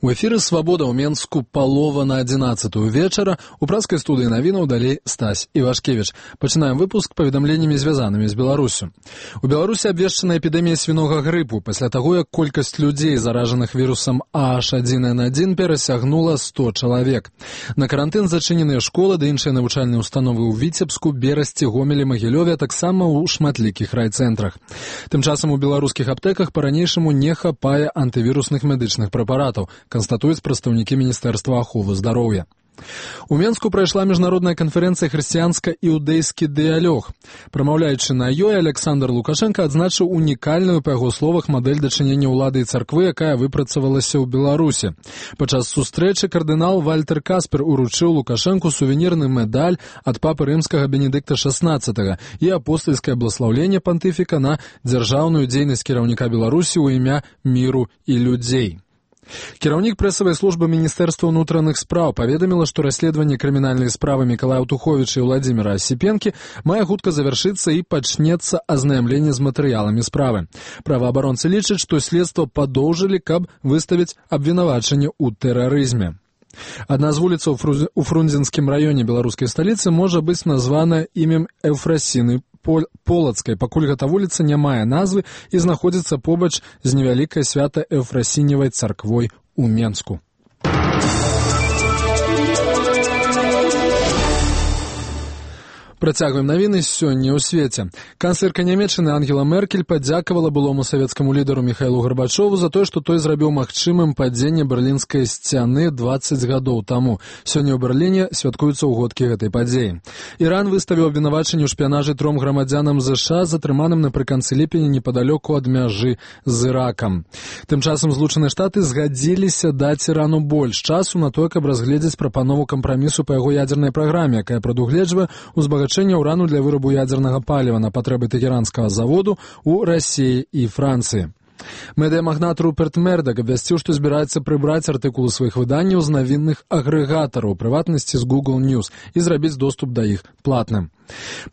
У эфіры «Свабода» ў Менску палова на 11-ю вечара. У праскай студыі навінаў далей Стась Івашкевіч. Пачынаем выпуск паведамленнямі, звязанымі з Беларусю. У Беларусі абвешчана эпідэмія свінога грыпу пасля таго, як колькасць людзей, заражаных вірусам H1N1, перасягнула 100 чалавек. На карантын зачыненыя школы ды іншыя навучальныя установы ў Віцебску, Берасці, Гомелі, Магілёве, а таксама ў шматлікіх райцэнтрах. Тым часам у беларускіх аптэках па-ранейшаму не хапае антывірусных медычных прэпаратаў, канстатуюць прадстаўнікі Міністэрства аховы здароўя. У Менску прайшла міжнародная канферэнцыя «Хрысціянска-іўдэйскі дыялог». Прамаўляючы на ёй, Александр Лукашенко адзначыў унікальную, па яго словах, мадэль дачынення ўлады і царквы, якая выпрацавалася ў Беларусі. Падчас сустрэчы кардынал Вальтер Каспер уручыў Лукашенку сувенірны медаль ад папы рымскага Бенедыкта XVI і апостальскае бласлаўленне пантыфіка на дзяржаўную дзейнасць кіраўніка Беларусі ў імя міру і людзей. Кіраўнік прэсавай службы Міністэрства ўнутраных спраў паведаміла, што расследаванне крымінальнай справы Мікалая Туховіча і Владзіміра Асіпенкі мае хутка завяршыцца і пачнецца азнаямленне з матэрыяламі справы. Праваабаронцы лічаць, што следства падоўжылі, каб выставіць абвінавачанне ў тэрарызме. Адна з вуліцаў у Фрунзенскім раёне беларускай сталіцы можа быць названа імем Эўфрасіны Полацкай, пакуль гэта вуліца не мае назвы і знаходзіцца побач з невялікай свята-эўфрасіневай царквой у Менску. Працягваем навіны сёння ў свеце. Канцлерка Нямецчыны Ангела Меркель падзякавала былому савецкаму лідару Міхаілу Гарбачову за тое, што той зрабіў магчымым падзенне берлінскай сцяны 20 гадоў таму. Сёння ў Берліне святкуюцца ўгодкі гэтай падзеі. Іран выставіў абвінавачанне ў шпіянажы 3 грамадзянам ЗША, затрыманым напрыканцы ліпеня непадалёку ад мяжы з Іракам. Тым часам Злучаныя Штаты згадзіліся даць Ірану больш часу на тое, каб разгледзець прапанову кампрамісу па яго ядзернай праграме, якая прадугледжвае узбагачэнне ўрану для вырабу ядзернага паліва на патрэбы тэхеранскага заводу ў Расіі і Францыі. Медыямагнат Руперт Мердак абвясціў, што збіраецца прыбраць артыкулы сваіх выданняў з навінных агрэгатараў, у прыватнасці з Google News, і зрабіць доступ да іх платным.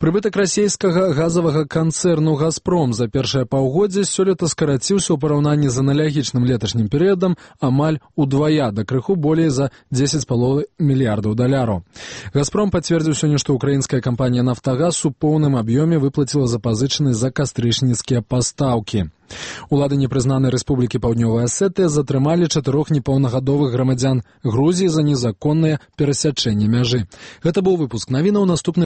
Прыбытак расійскага газавага канцэрну «Газпром» за першае паўгоддзе сёлета скараціўся ў параўнанні з аналагічным леташнім перыядам амаль удвая, да крыху болей за 10,5 мільярдаў даляраў. «Газпром» пацвердзіў сёння, што украінская кампанія «Нафтагаз» у поўным аб'ёме выплаціла запазычаны за кастрычніцкія пастаўкі. Улады непрызнанай рэспублікі Паўднёвая Асетыя затрымалі 4 непаўнагадовых грамадзян Грузіі за незаконнае перасячэнне мяжы. Гэта быў выпуск навінаў. Наступны